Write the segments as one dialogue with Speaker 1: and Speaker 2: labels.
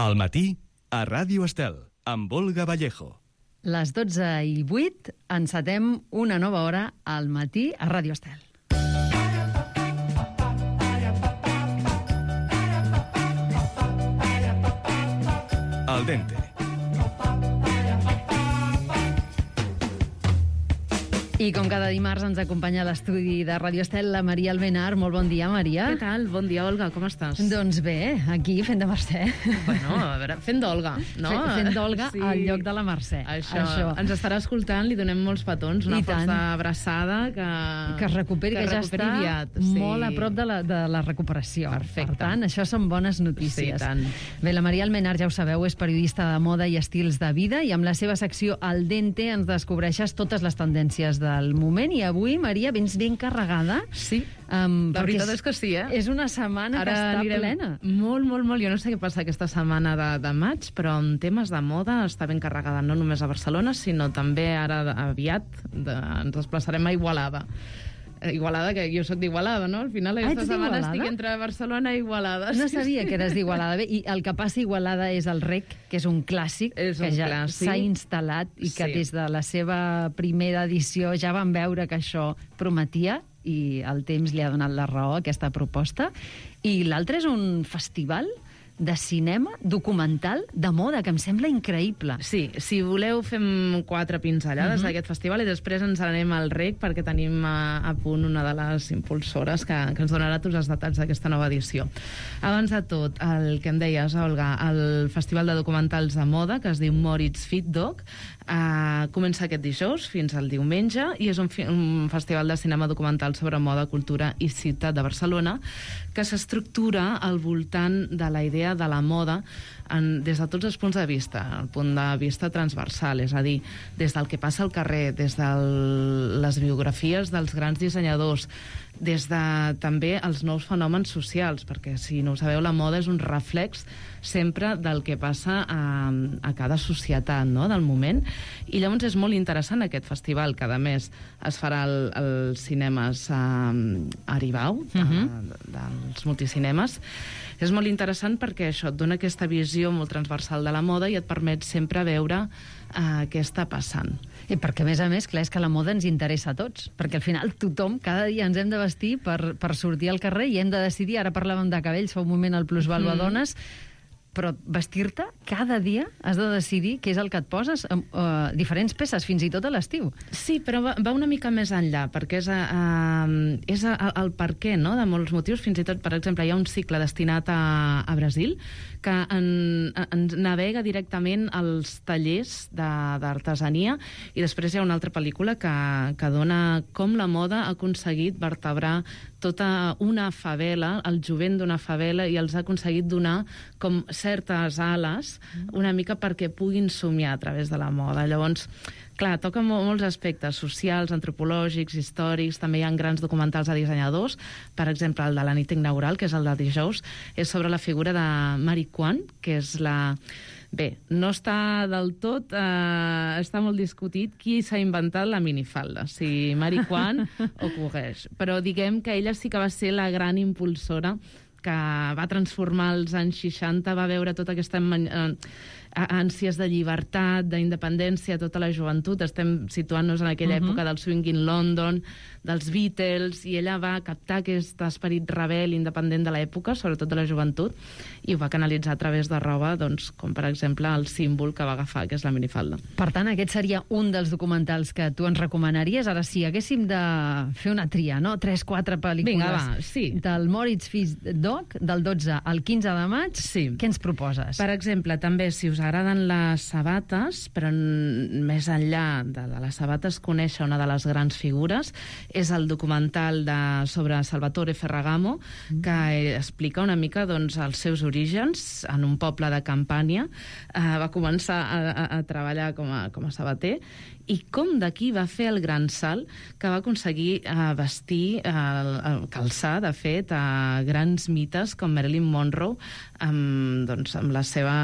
Speaker 1: Al matí, a Ràdio Estel, amb Olga Vallejo.
Speaker 2: Les 12:08 encetem una nova hora al matí a Ràdio Estel.
Speaker 1: Al dente.
Speaker 2: I com cada dimarts ens acompanya a l'estudi de Ràdio Estel la Maria Albenar. Molt bon dia, Maria.
Speaker 3: Què tal? Bon dia, Olga, com estàs?
Speaker 2: Doncs bé, aquí fent de Mercè.
Speaker 3: Bueno, a veure, fent d'Olga, no?
Speaker 2: Fent d'Olga sí. Al lloc de la Mercè.
Speaker 3: Això. Ens estarà escoltant, li donem molts petons, una força abraçada que
Speaker 2: es recuperi, que ja està
Speaker 3: aviat,
Speaker 2: molt a prop de la recuperació.
Speaker 3: Perfecte.
Speaker 2: Per tant, això són bones notícies.
Speaker 3: Sí, tant.
Speaker 2: Bé, la Maria Albenar, ja ho sabeu, és periodista de moda i estils de vida i amb la seva secció Al dente ens descobreixes totes les tendències del moment i avui, Maria, vens ben carregada.
Speaker 3: Sí, la veritat és que sí, eh?
Speaker 2: És una setmana que està plena.
Speaker 3: Molt. Jo no sé què passa aquesta setmana de maig, però en temes de moda està ben carregada, no només a Barcelona, sinó també ara aviat ens desplaçarem a Igualada. Igualada, que jo soc d'Igualada, no? Al final aquesta setmana estic entre Barcelona i Igualada.
Speaker 2: No sabia que eres d'Igualada. Bé, i el que passa a Igualada és el REC, que és un clàssic, que ja s'ha instal·lat i que des de la seva primera edició ja van veure que això prometia i el temps li ha donat la raó a aquesta proposta. I l'altre és un festival de cinema documental de moda, que em sembla increïble.
Speaker 3: Sí, si voleu fem 4 pinzellades d'aquest festival i després ens anem al REC perquè tenim a punt una de les impulsores que ens donarà tots els detalls d'aquesta nova edició. Abans de tot, el que em deies, Olga, el Festival de Documentals de Moda, que es diu Moritz Fit Doc, comença aquest dijous fins al diumenge i és un festival de cinema documental sobre moda, cultura i ciutat de Barcelona que s'estructura al voltant de la idea de la moda des de tots els punts de vista, el punt de vista transversal, és a dir, des del que passa al carrer, des de les biografies dels grans dissenyadors, des de també els nous fenòmens socials, perquè si no ho sabeu, la moda és un reflex sempre del que passa a cada societat, no?, del moment, i llavors és molt interessant aquest festival, que a més es farà als cinemes Aribau, dels multicinemes. És molt interessant perquè això et dona aquesta visió molt transversal de la moda i et permet sempre veure què està passant.
Speaker 2: I perquè, a més, clar, és que la moda ens interessa a tots, perquè al final tothom, cada dia ens hem de vestir per sortir al carrer i hem de decidir, ara parlàvem de cabells, fa un moment el plusvàlua dones, però vestir-te cada dia has de decidir què és el que et poses, diferents peces, fins i tot a l'estiu.
Speaker 3: Sí, però va una mica més enllà, perquè és el per què, no?, de molts motius. Fins i tot, per exemple, hi ha un cicle destinat a Brasil que ens navega directament als tallers d'artesania, i després hi ha una altra pel·lícula que dona com la moda ha aconseguit vertebrar tota una favela, el jovent d'una favela, i els ha aconseguit donar com certes ales una mica perquè puguin somiar a través de la moda. Llavors, clar, toca molts aspectes socials, antropològics, històrics, també hi ha grans documentals de dissenyadors, per exemple, el de la nit inaugural, que és el de dijous, és sobre la figura de Marie Quan, que és la... Bé, no està del tot... està molt discutit qui s'ha inventat la minifalda, si Marie Quan o Courrèges. Però diguem que ella sí que va ser la gran impulsora que va transformar els anys 60, va veure tota aquesta ànsies de llibertat, d'independència, tota la joventut. Estem situant-nos en aquella època del swing in London, dels Beatles, i ella va captar aquest esperit rebel independent de l'època, sobretot de la joventut, i ho va canalitzar a través de roba, doncs, com per exemple el símbol que va agafar, que és la minifalda.
Speaker 2: Per tant, aquest seria un dels documentals que tu ens recomanaries. Ara, si haguéssim de fer una tria, no?, 3-4 pel·lícules.
Speaker 3: Vinga, va, sí.
Speaker 2: Del Moritz Fit Doc, del 12 al 15 de maig,
Speaker 3: sí.
Speaker 2: Què ens proposes?
Speaker 3: Per exemple, també, si us agraden les sabates, però més enllà de les sabates, conèixer una de les grans figures, és el documental sobre Salvatore Ferragamo, que explica una mica doncs, els seus orígens en un poble de Campània. Va començar a treballar com a sabater, i com d'aquí va fer el gran salt que va aconseguir vestir, calçar, de fet, a grans mites com Marilyn Monroe, amb la seva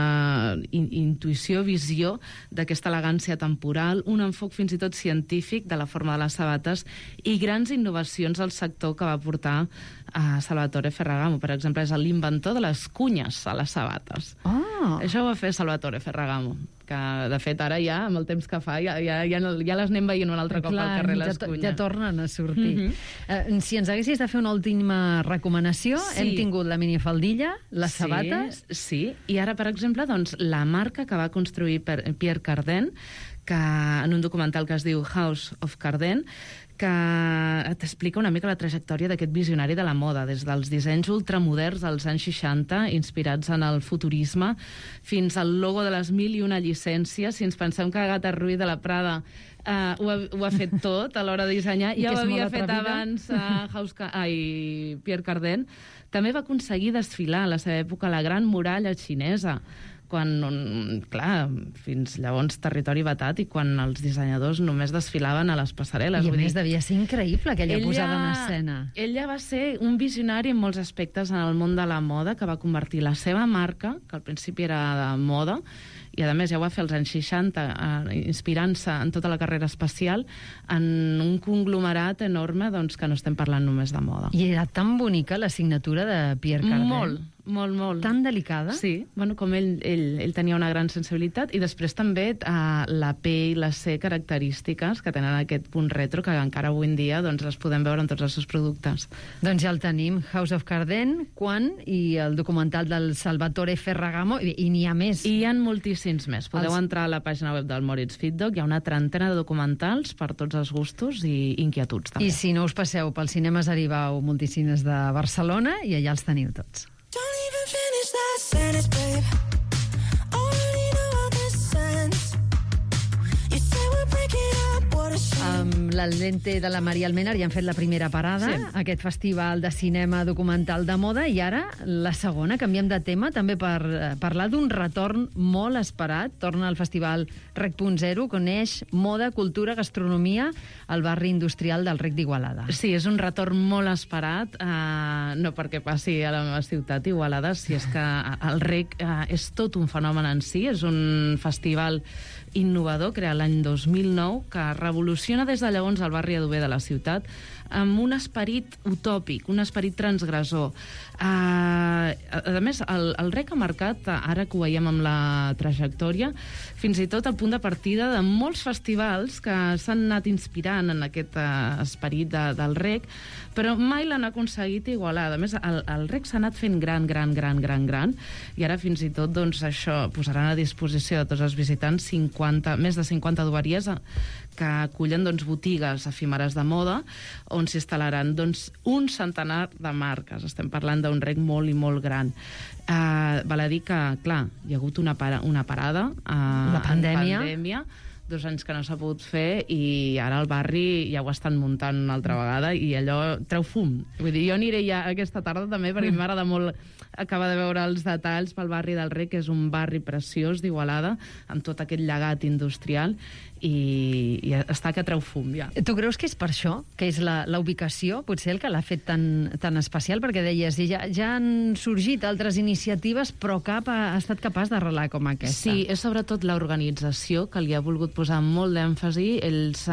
Speaker 3: intuïció, visió d'aquesta elegància temporal, un enfoc fins i tot científic de la forma de les sabates i grans innovacions al sector que va portar a Salvatore Ferragamo. Per exemple, és l'inventor de les cunyes a les sabates.
Speaker 2: Ah,
Speaker 3: Això ho va fer Salvatore Ferragamo, que de fet ara ja, amb el temps que fa, ja les anem veient un altre cop al carrer les cunyes.
Speaker 2: Ja tornen a sortir. Si ens haguessis de fer una última recomanació, hem tingut la minifaldilla, les sabates...
Speaker 3: Sí, i ara, per exemple, doncs, la marca que va construir Pierre Cardin, que en un documental que es diu House of Cardin, que t'explica una mica la trajectòria d'aquest visionari de la moda, des dels dissenys ultramoderns dels anys 60, inspirats en el futurisme, fins al logo de les 1001 llicències. Si ens pensem que Agatha Ruiz de la Prada ho ha fet tot a l'hora de dissenyar, ja ho havia fet abans Pierre Cardin. També va aconseguir desfilar a la seva època la Gran Muralla xinesa, quan, clar, fins llavors territori vetat, i quan els dissenyadors només desfilaven a les passarel·les.
Speaker 2: I a més devia ser increïble aquella posada en escena.
Speaker 3: Ella va ser un visionari en molts aspectes en el món de la moda, que va convertir la seva marca, que al principi era de moda, i a més ja ho va fer als anys 60, inspirant-se en tota la carrera espacial, en un conglomerat enorme, doncs, que no estem parlant només de moda.
Speaker 2: I era tan bonica la signatura de Pierre Cardin.
Speaker 3: Molt.
Speaker 2: Tan delicada?
Speaker 3: Sí, bueno, com ell tenia una gran sensibilitat, i després també la P i la C característiques que tenen aquest punt retro, que encara avui en dia doncs, les podem veure en tots els seus productes.
Speaker 2: Doncs ja el tenim, House of Cardin, Quan, i el documental del Salvatore Ferragamo, i n'hi ha més.
Speaker 3: I hi ha moltíssims més. Podeu entrar a la pàgina web del Moritz Feedback, hi ha una trentena de documentals per tots els gustos i inquietuds, també.
Speaker 2: I si no us passeu pel Cinemes Aribau Multicines de Barcelona, i allà els teniu tots.
Speaker 4: Don't even finish that sentence, babe. Already know how this ends. You say we're breaking up, what a shame.
Speaker 2: Amb la lente de la Maria Almenar ja han fet la primera parada, aquest festival de cinema documental de moda, i ara la segona, canviem de tema, també per parlar d'un retorn molt esperat. Torna al festival Rec.0, coneix moda, cultura, gastronomia al barri industrial del Rec d'Igualada.
Speaker 3: Sí, és un retorn molt esperat, no perquè passi a la meva ciutat, Igualada, si és que el Rec és tot un fenomen en si, és un festival innovador, creat l'any 2009, que revoluciona des de llavors el barri adober de la ciutat, amb un esperit utòpic, un esperit transgressor. A més, el Rec ha marcat, ara que ho veiem amb la trajectòria, fins i tot el punt de partida de molts festivals que s'han anat inspirant en aquest esperit del Rec, però mai l'han aconseguit igualar. A més, el Rec s'ha anat fent gran, i ara fins i tot doncs, això posaran a disposició de tots els visitants més de 50 dueries que acullen doncs, botigues efímeres de moda, on s'instal·laran doncs, un centenar de marques. Estem parlant d'un Rec molt i molt gran. Val a dir que, clar, hi ha hagut una parada,
Speaker 2: la pandèmia,
Speaker 3: 2 anys que no s'ha pogut fer, i ara el barri ja ho estan muntant una altra vegada, i allò treu fum. Vull dir, jo aniré ja aquesta tarda també, perquè m'agrada molt acabar de veure els detalls pel barri del Rec, que és un barri preciós d'Igualada, amb tot aquest llegat industrial, i està que treu fum, ja.
Speaker 2: Tu creus que és per això? Que és la ubicació, potser, el que l'ha fet tan especial? Perquè deies, ja han sorgit altres iniciatives, però cap ha estat capaç d'arrelar com aquesta.
Speaker 3: Sí, és sobretot l'organització que li ha volgut posar molt d'èmfasi. Ells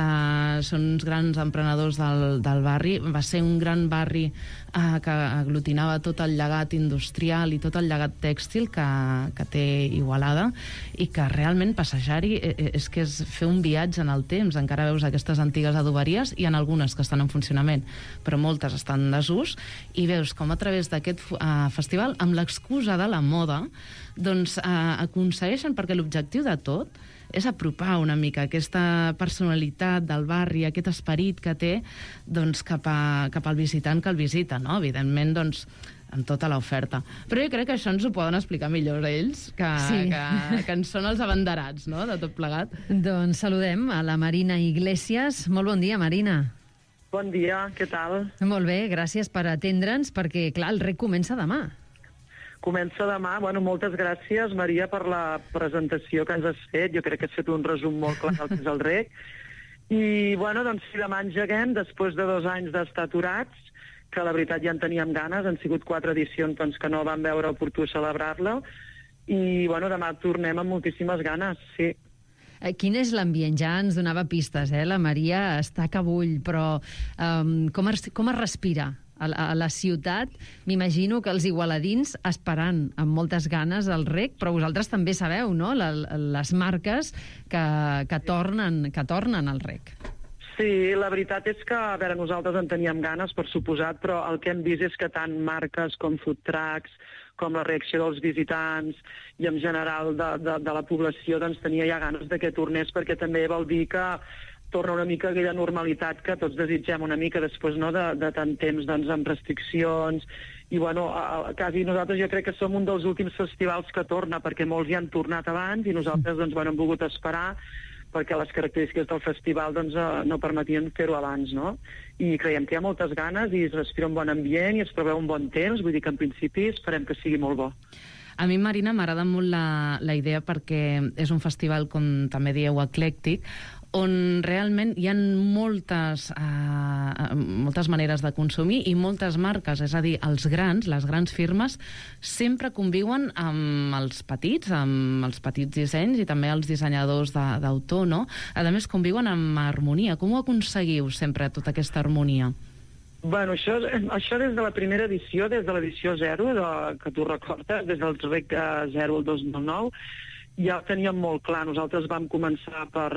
Speaker 3: són uns grans emprenedors del barri. Va ser un gran barri que aglutinava tot el llegat industrial i tot el llegat tèxtil que té Igualada, i que realment passejar-hi és que és fer un viatge en el temps. Encara veus aquestes antigues adoberies, hi ha algunes que estan en funcionament, però moltes estan en desús, i veus com a través d'aquest festival, amb l'excusa de la moda, doncs aconsegueixen, perquè l'objectiu de tot és apropar una mica aquesta personalitat del barri, aquest esperit que té, doncs, cap al visitant que el visita, no? Evidentment, doncs, amb tota l'oferta. Però jo crec que això ens ho poden explicar millor ells, que en són els abanderats, no?, de tot plegat.
Speaker 2: Doncs saludem a la Marina Iglesias. Molt bon dia, Marina.
Speaker 5: Bon dia, què tal?
Speaker 2: Molt bé, gràcies per atendre'ns, perquè, clar, el Rec comença demà.
Speaker 5: Comença demà. Bueno, moltes gràcies, Maria, per la presentació que ens has fet. Jo crec que has fet un resum molt clar del que és el Rec. I, bueno, doncs, si demà engeguem, després de 2 anys d'estar aturats, que la veritat ja en teníem ganes, han sigut 4 edicions doncs, que no vam veure oportú celebrar-la, i, bueno, demà tornem amb moltíssimes ganes, sí.
Speaker 2: Quin és l'ambient? Ja ens donava pistes, la Maria està que bull, però com es respira a la ciutat. M'imagino que els igualadins esperant amb moltes ganes el rec, però vosaltres també sabeu, no?, les marques que tornen al rec.
Speaker 5: Sí, la veritat és que, a veure, nosaltres en teníem ganes, per suposat, però el que hem vist és que tant marques com food trucks, com la reacció dels visitants i en general de la població, doncs tenia ja ganes de que tornés, perquè també vol dir que torna una mica aquella normalitat que tots desitgem una mica després, no?, de tant temps, doncs, amb restriccions. I, bueno, quasi nosaltres jo crec que som un dels últims festivals que torna, perquè molts ja han tornat abans i nosaltres, doncs, bueno, hem volgut esperar perquè les característiques del festival doncs, no permetien fer-ho abans, no? I creiem que hi ha moltes ganes i es respira un bon ambient i es preveu un bon temps, vull dir que en principi esperem que sigui molt bo.
Speaker 3: A mi, Marina, m'agrada molt la idea perquè és un festival, com també dieu, eclèctic, on realment hi ha moltes maneres de consumir i moltes marques, és a dir, les grans firmes, sempre conviuen amb els petits dissenys i també els dissenyadors d'autor, no? A més, conviuen amb harmonia. Com ho aconseguiu sempre, tota aquesta harmonia?
Speaker 5: Bueno, això des de la primera edició, des de l'edició 0, que tu recordes, des del REC 0 al 2009, ja ho teníem molt clar. Nosaltres vam començar per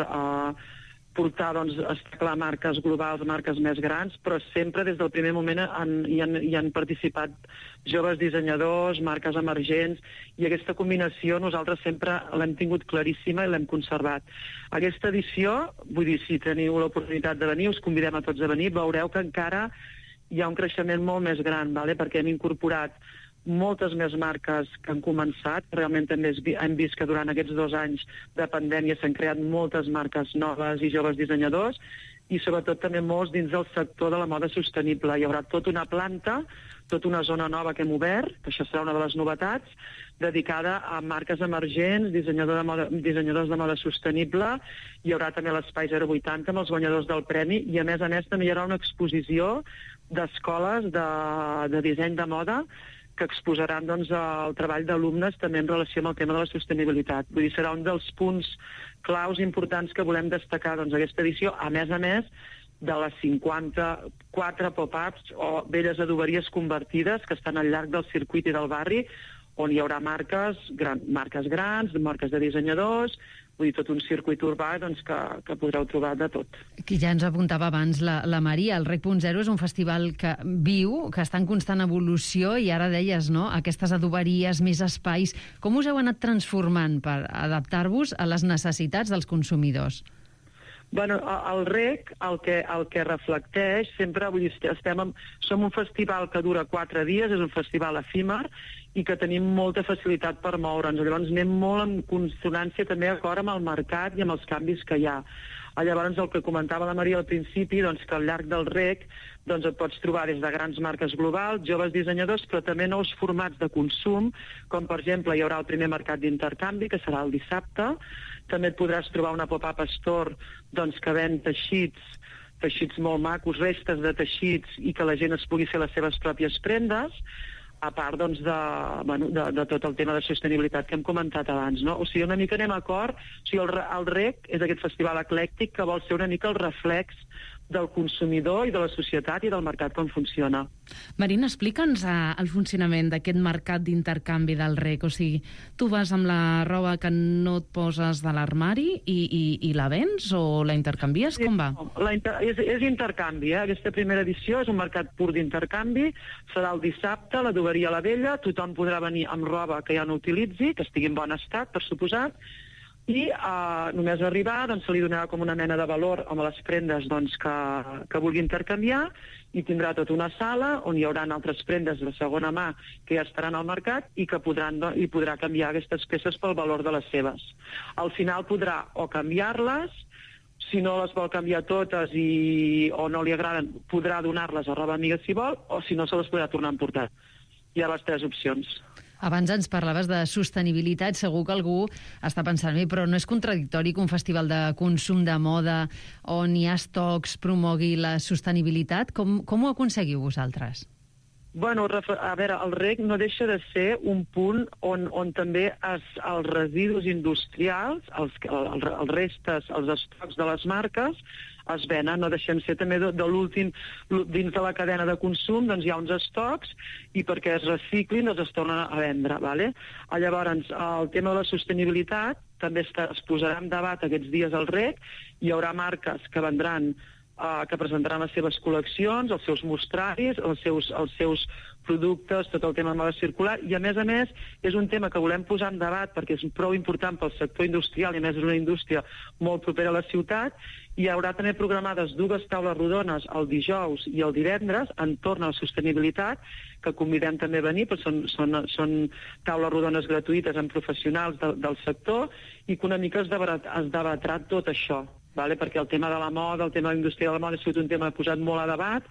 Speaker 5: portar, doncs, està clar, marques globals, marques més grans, però sempre des del primer moment hi han participat joves dissenyadors, marques emergents, i aquesta combinació nosaltres sempre l'hem tingut claríssima i l'hem conservat. Aquesta edició, vull dir, si teniu l'oportunitat de venir, us convidem a tots a venir, veureu que encara hi ha un creixement molt més gran, perquè hem incorporat moltes més marques que han començat. Realment també hem vist que durant aquests 2 anys de pandèmia s'han creat moltes marques noves i joves dissenyadors i sobretot també molts dins del sector de la moda sostenible. Hi haurà tota una planta, tota una zona nova que hem obert, que això serà una de les novetats, dedicada a marques emergents, dissenyadors de moda sostenible. Hi haurà també l'Espai 080 amb els guanyadors del premi i a més també hi haurà una exposició d'escoles de disseny de moda que exposaran, doncs, el treball d'alumnes també en relació amb el tema de la sostenibilitat. Vull dir, serà un dels punts claus importants que volem destacar, doncs, aquesta edició, a més de les 54 pop-ups o velles adoberies convertides que estan al llarg del circuit i del barri, on hi haurà marques grans, marques de dissenyadors, vull dir, tot un circuit urbà, doncs, que podreu trobar de tot.
Speaker 2: Qui ja ens apuntava abans la Maria, el REC.0 és un festival que viu, que està en constant evolució, i ara deies, no?, aquestes adoberies, més espais. Com us heu anat transformant per adaptar-vos a les necessitats dels consumidors?
Speaker 5: Bueno, el REC el que reflecteix sempre, vull dir, som un festival que dura 4 dies, és un festival efímer i que tenim molta facilitat per moure'ns. Llavors anem molt en consonància també d'acord amb el mercat i amb els canvis que hi ha. Llavors el que comentava la Maria al principi, doncs, que al llarg del REC doncs, et pots trobar des de grans marques globals, joves dissenyadors, però també nous formats de consum, com per exemple hi haurà el primer mercat d'intercanvi, que serà el dissabte. També et podràs trobar una pop-up store, doncs, que ven teixits molt macos, restes de teixits, i que la gent es pugui fer les seves pròpies prendes, a part, doncs, de tot el tema de sostenibilitat que hem comentat abans, no? O sigui, una mica anem a cor. O sigui, el REC és aquest festival eclèctic que vol ser una mica el reflex del consumidor i de la societat i del mercat com funciona.
Speaker 3: Marina, explica'ns el funcionament d'aquest mercat d'intercanvi del REC. O sigui, tu vas amb la roba que no et poses de l'armari i la vens o la intercanvies?
Speaker 5: Sí,
Speaker 3: com va?
Speaker 5: És intercanvi, eh? Aquesta primera edició és un mercat pur d'intercanvi. Serà el dissabte, l'adoberia a la vella. Tothom podrà venir amb roba que ja no utilitzi, que estigui en bon estat, per suposat, i només arribar, doncs, se li donarà com una mena de valor amb les prendes, doncs, que vulgui intercanviar, i tindrà tota una sala on hi haurà altres prendes de segona mà que ja estaran al mercat i que podrà canviar aquestes peces pel valor de les seves. Al final podrà o canviar-les, si no les vol canviar totes o no li agraden, podrà donar-les a roba amiga si vol, o si no se les podrà tornar a emportar. Hi ha les 3 opcions.
Speaker 2: Abans ens parlaves de sostenibilitat, segur que algú està pensant, però no és contradictori que un festival de consum de moda on hi ha estocs promogui la sostenibilitat? Com ho aconseguiu vosaltres?
Speaker 5: Bueno, a veure, el rec no deixa de ser un punt on també els residus industrials, els restes, els estocs de les marques, es venen. No deixem ser també de l'últim, dins de la cadena de consum, doncs hi ha uns estocs i perquè es reciclin es tornen a vendre. ¿vale? Llavors, el tema de la sostenibilitat també es posarà en debat aquests dies al rec. Hi haurà marques que vendran que presentaran les seves col·leccions, els seus mostraris, els seus productes, tot el tema de moda circular, i a més és un tema que volem posar en debat perquè és prou important pel sector industrial, i a més és una indústria molt propera a la ciutat. Hi haurà també programades 2 taules rodones el dijous i el divendres entorn a la sostenibilitat, que convidem també a venir, perquè són taules rodones gratuïtes amb professionals del sector, i que una mica es debatrà tot això. Vale? Perquè el tema de la moda, el tema de la indústria de la moda ha sigut un tema posat molt a debat.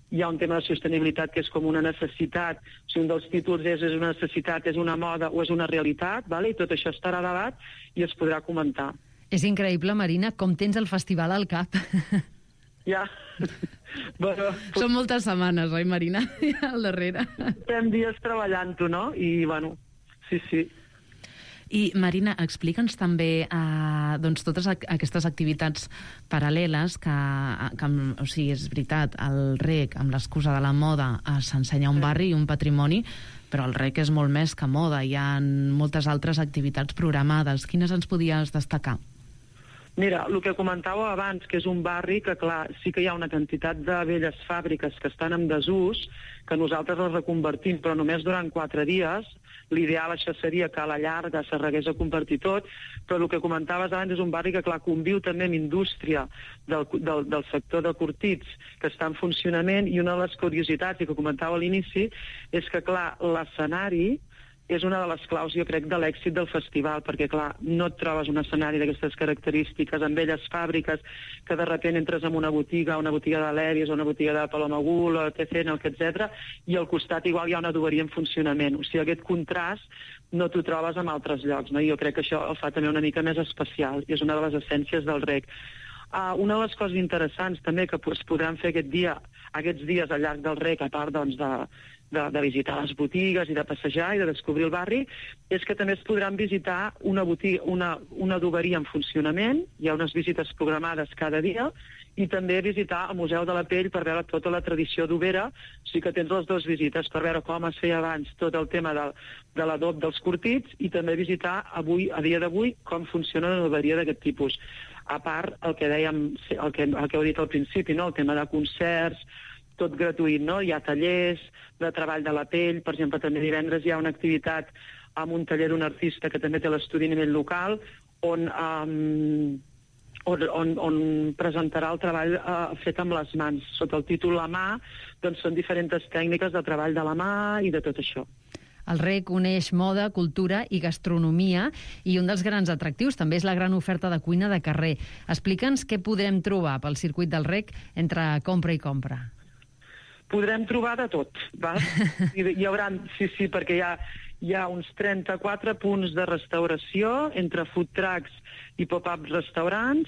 Speaker 5: Hi ha un tema de sostenibilitat que és com una necessitat, si un dels títols és una necessitat, és una moda o és una realitat, vale? I tot això estarà a debat i es podrà comentar.
Speaker 2: És increïble, Marina, com tens el festival al cap.
Speaker 5: Ja. Bueno,
Speaker 3: són moltes setmanes, oi, Marina? Ja al darrere.
Speaker 5: Fem dies treballant-ho, no? I, bueno, sí.
Speaker 3: I, Marina, explica'ns també doncs, totes aquestes activitats paral·leles que o sigui, és veritat, el rec, amb l'excusa de la moda, s'ensenya un barri i un patrimoni, però el rec és molt més que moda. Hi ha moltes altres activitats programades. Quines ens podies destacar?
Speaker 5: Mira, el que comentàveu abans, que és un barri que, clar, sí que hi ha una quantitat de velles fàbriques que estan en desús, que nosaltres les reconvertim, però només durant 4 dies. L'ideal això seria que a la llarga s'arregués a convertir tot, però el que comentaves abans és un barri que, clar, conviu també amb indústria del sector de curtits que està en funcionament, i una de les curiositats, i que comentava a l'inici, és que, clar, l'escenari és una de les claus, jo crec, de l'èxit del festival, perquè, clar, no et trobes un escenari d'aquestes característiques, amb velles fàbriques, que de sobte entres en una botiga de l'Èries, o una botiga de Paloma Gul, o TCN, etc., i al costat igual hi ha una adoberia en funcionament. O sigui, aquest contrast no t'ho trobes en altres llocs, no? I jo crec que això el fa també una mica més especial, i és una de les essències del rec. Una de les coses interessants també que es podran fer aquests dies al llarg del rec, a part doncs, de visitar les botigues i de passejar i de descobrir el barri, és que també es podran visitar una adoberia en funcionament. Hi ha unes visites programades cada dia, i també visitar el Museu de la Pell per veure tota la tradició d'Overa. O sigui que tens les 2 visites per veure com es feia abans tot el tema de l'adob dels curtits, i també visitar avui, a dia d'avui, com funciona una adoberia d'aquest tipus. A part, el que dèiem, el que heu dit al principi, no? El tema de concerts, tot gratuït, no? Hi ha tallers de treball de la pell, per exemple, també divendres hi ha una activitat amb un taller d'un artista que també té l'estudi a nivell local, on presentarà el treball fet amb les mans. Sota el títol La mà, doncs són diferents tècniques de treball de la mà i de tot això.
Speaker 2: El rec uneix moda, cultura i gastronomia, i un dels grans atractius també és la gran oferta de cuina de carrer. Explica'ns què podrem trobar pel circuit del rec entre compra i compra.
Speaker 5: Podrem trobar de tot, val? Hi haurà, sí, perquè hi ha uns 34 punts de restauració entre food trucks i pop-up restaurants.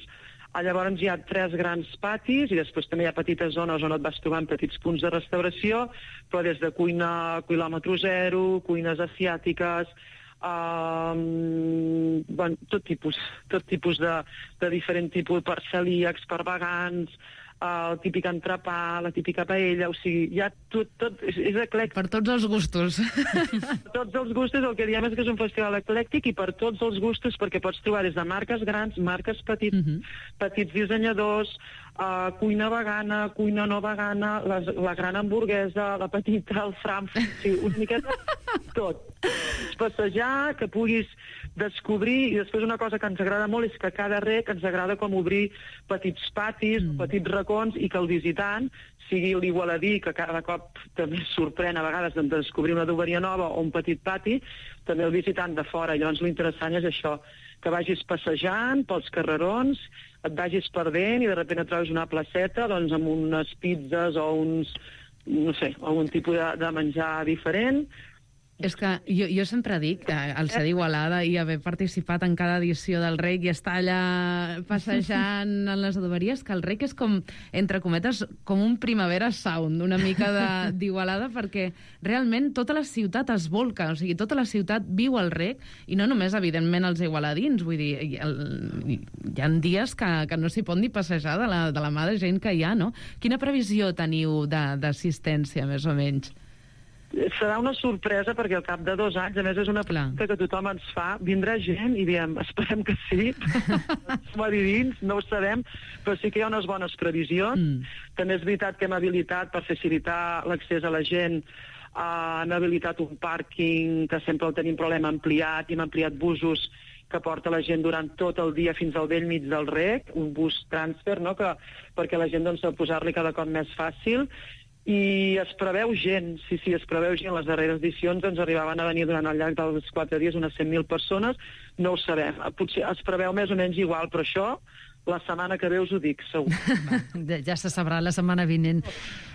Speaker 5: Llavors hi ha 3 grans patis, i després també hi ha petites zones on et vas trobant petits punts de restauració, però des de cuina quilòmetre zero, cuines asiàtiques, tot tipus de diferent tipus, per celíacs, per vegans, el típic entrepà, la típica paella, o sigui, hi ha tot és eclèctic.
Speaker 3: Per tots els gustos.
Speaker 5: Per tots els gustos, el que diem és que és un festival eclèctic, i per tots els gustos, perquè pots trobar des de marques grans, marques petits dissenyadors, cuina vegana, cuina no vegana, la gran hamburguesa, la petita, el Frankfurt, o sigui, una miqueta tot. Passejar, que puguis descobrir, i després una cosa que ens agrada molt és que cada rec ens agrada com obrir petits patis, petits racons, i que el visitant sigui l'igualadí, que cada cop també es sorprèn a vegades de descobrir una adoberia nova o un petit pati, també el visitant de fora. Llavors l'interessant és això, que vagis passejant pels carrerons, et vagis perdent i de sobte et trobes una placeta doncs, amb unes pizzas o uns, no sé, algun tipus de menjar diferent.
Speaker 3: És que jo sempre dic, al ser d'Igualada i haver participat en cada edició del REC i estar allà passejant en les adoberies, que el REC és com, entre cometes, com un primavera sound, una mica d'Igualada, perquè realment tota la ciutat es volca, o sigui, tota la ciutat viu el REC, i no només, evidentment, els igualadins, vull dir, hi ha dies que no s'hi pot ni passejar de la mà de gent que hi ha, no? Quina previsió teniu d'assistència, més o menys?
Speaker 5: Serà una sorpresa perquè al cap de 2 anys, a més és una pregunta que tothom ens fa, vindrà gent i diem, esperem que sí, som adivins, no ho sabem, però sí que hi ha unes bones previsions. També és veritat que hem habilitat per facilitar l'accés a la gent, hem habilitat un pàrquing que sempre el tenim problema ampliat i hem ampliat busos que porta la gent durant tot el dia fins al vell mig del REC, un bus transfer, no? Perquè la gent doncs, posar-li cada cop més fàcil. I es preveu gent, sí, es preveu gent. Les darreres edicions ens arribaven a venir durant el llarg dels 4 dies unes 100.000 persones, no ho sabem. Potser es preveu més o menys igual, però això la setmana que ve us ho dic, segur.
Speaker 2: Ja se sabrà la setmana vinent.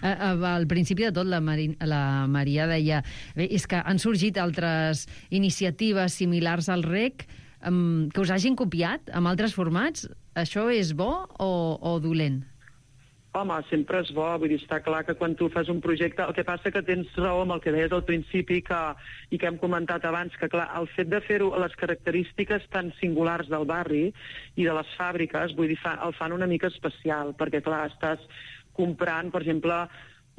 Speaker 2: Al principi de tot, la Maria deia és que han sorgit altres iniciatives similars al REC que us hagin copiat amb altres formats. Això és bo o dolent?
Speaker 5: Home, sempre és bo, vull dir, està clar que quan tu fas un projecte, el que passa que tens raó amb el que deies al principi i que hem comentat abans, que clar, el fet de fer-ho a les característiques tan singulars del barri i de les fàbriques, vull dir, el fan una mica especial, perquè clar, estàs comprant, per exemple,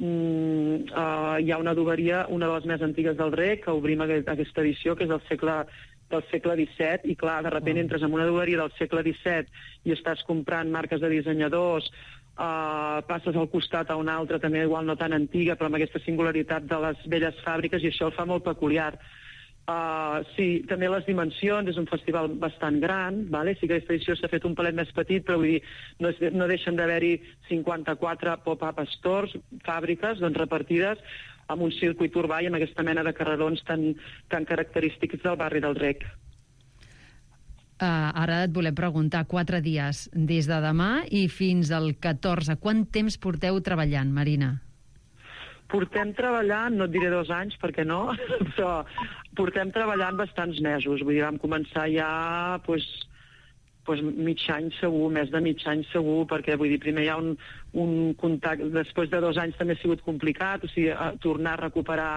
Speaker 5: hi ha una adoberia, una de les més antigues del REC, que obrim aquesta edició, que és del segle XVII, i clar, de sobte entres en una adoberia del segle XVII i estàs comprant marques de dissenyadors, passes al costat a una altra, també igual no tan antiga, però amb aquesta singularitat de les velles fàbriques, i això el fa molt peculiar. Sí, també les dimensions, és un festival bastant gran, vale? Sí que aquesta edició s'ha fet un palet més petit, però vull dir, no deixen d'haver-hi 54 pop-up stores, fàbriques, doncs repartides amb un circuit urbà i amb aquesta mena de carrerons tan característics del barri del REC.
Speaker 2: Ara et volem preguntar, 4 dies, des de demà i fins al 14. Quant temps porteu treballant, Marina?
Speaker 5: Portem treballant, no et diré 2 anys, perquè no, però portem treballant bastants mesos. Vull dir, vam començar ja mig any segur, més de mig any segur, perquè vull dir, primer hi ha un contacte, després de 2 anys també ha sigut complicat, o sigui, tornar a recuperar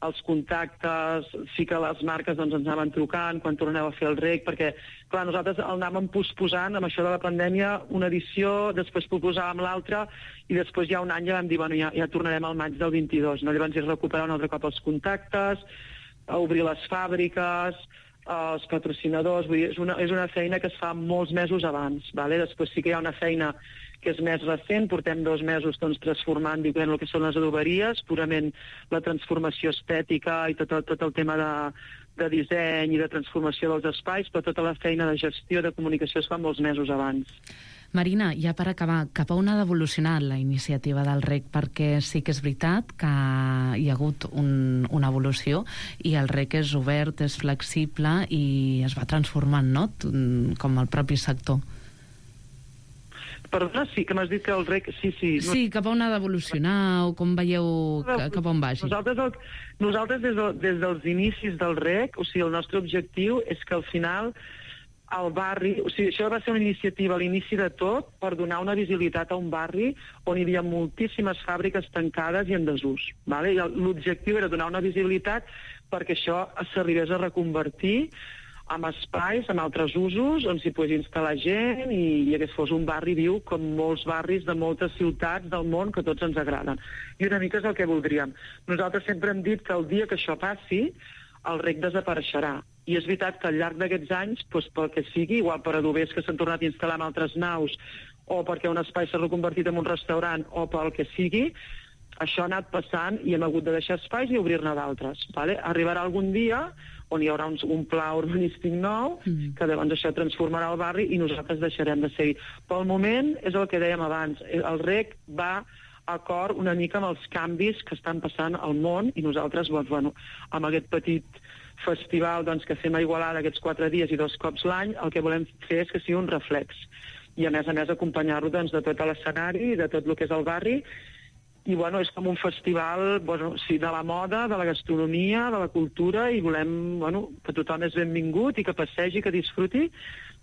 Speaker 5: els contactes, sí que les marques doncs, ens anaven trucant quan torneu a fer el REC, perquè, clar, nosaltres el anàvem posposant amb això de la pandèmia, una edició, després posposàvem l'altra, i després ja un any ja vam dir, bueno, ja tornarem al maig del 22, no? Llavors és recuperar un altre cop els contactes, obrir les fàbriques, els patrocinadors, vull dir, és una feina que es fa molts mesos abans, vale? Després sí que hi ha una feina que és més recent, portem 2 mesos doncs, transformant el que són les adoberies, purament la transformació estètica i tot el tema de disseny i de transformació dels espais, però tota la feina de gestió, de comunicació es fa molts mesos abans.
Speaker 3: Marina, ja per acabar, cap a on ha d'evolucionar la iniciativa del REC? Perquè sí que és veritat que hi ha hagut una evolució i el REC és obert, és flexible i es va transformant, no?, com el propi sector.
Speaker 5: Perdona, sí, que m'has dit que el REC... Sí.
Speaker 3: Sí, cap a on ha d'evolucionar o com veieu cap a on vagi?
Speaker 5: Nosaltres des dels inicis del REC, o sigui, el nostre objectiu és que al final el barri... O sigui, això va ser una iniciativa a l'inici de tot per donar una visibilitat a un barri on hi havia moltíssimes fàbriques tancades i en desús. Vale? I l'objectiu era donar una visibilitat perquè això s'arribés a reconvertir amb espais, amb altres usos, on s'hi pogués instal·lar gent i que fos un barri viu com molts barris de moltes ciutats del món que tots ens agraden. I una mica és el que voldríem. Nosaltres sempre hem dit que el dia que això passi, el REC desapareixerà. I és veritat que al llarg d'aquests anys, doncs, pel que sigui, igual per adobers que s'han tornat a instal·lar en altres naus, o perquè un espai s'ha reconvertit en un restaurant, o pel que sigui, això ha anat passant i hem hagut de deixar espais i obrir-ne d'altres. Vale? Arribarà algun dia on hi haurà un pla urbanístic nou, que llavors això transformarà el barri i nosaltres deixarem de ser-hi. Pel moment, és el que dèiem abans, el REC va acord una mica amb els canvis que estan passant al món i nosaltres, bueno, amb aquest petit festival doncs, que fem a Igualada aquests 4 dies i 2 cops l'any, el que volem fer és que sigui un reflex. I a més acompanyar-lo doncs, de tot l'escenari, de tot el que és el barri, i bueno, és com un festival sí, de la moda, de la gastronomia, de la cultura, i volem que tothom és benvingut i que passegi, que disfruti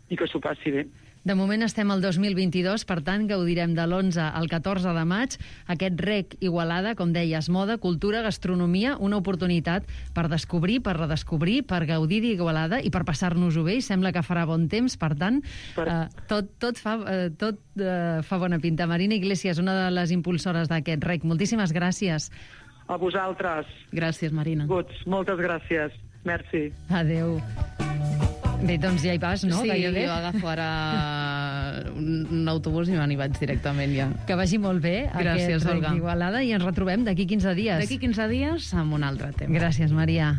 Speaker 5: i que s'ho passi bé.
Speaker 2: De moment estem al 2022, per tant, gaudirem de l'11 al 14 de maig. Aquest Rec Igualada, com deies, moda, cultura, gastronomia, una oportunitat per descobrir, per redescobrir, per gaudir d'Igualada i per passar-nos-ho bé, i sembla que farà bon temps, per tant, tot fa bona pinta. Marina Iglesias, una de les impulsores d'aquest Rec, moltíssimes gràcies.
Speaker 5: A vosaltres.
Speaker 3: Gràcies, Marina.
Speaker 5: Moltes gràcies. Merci.
Speaker 2: Adéu. Bé, doncs ja hi vas, no?
Speaker 3: Sí,
Speaker 2: Gairebé.
Speaker 3: jo agafo ara un autobús i me n'hi vaig directament ja.
Speaker 2: Que vagi molt bé
Speaker 3: Gràcies,
Speaker 2: aquest Rec
Speaker 3: Olga.
Speaker 2: d'Igualada, i ens retrobem d'aquí 15 dies.
Speaker 3: D'aquí 15 dies amb un altre tema.
Speaker 2: Gràcies, Maria.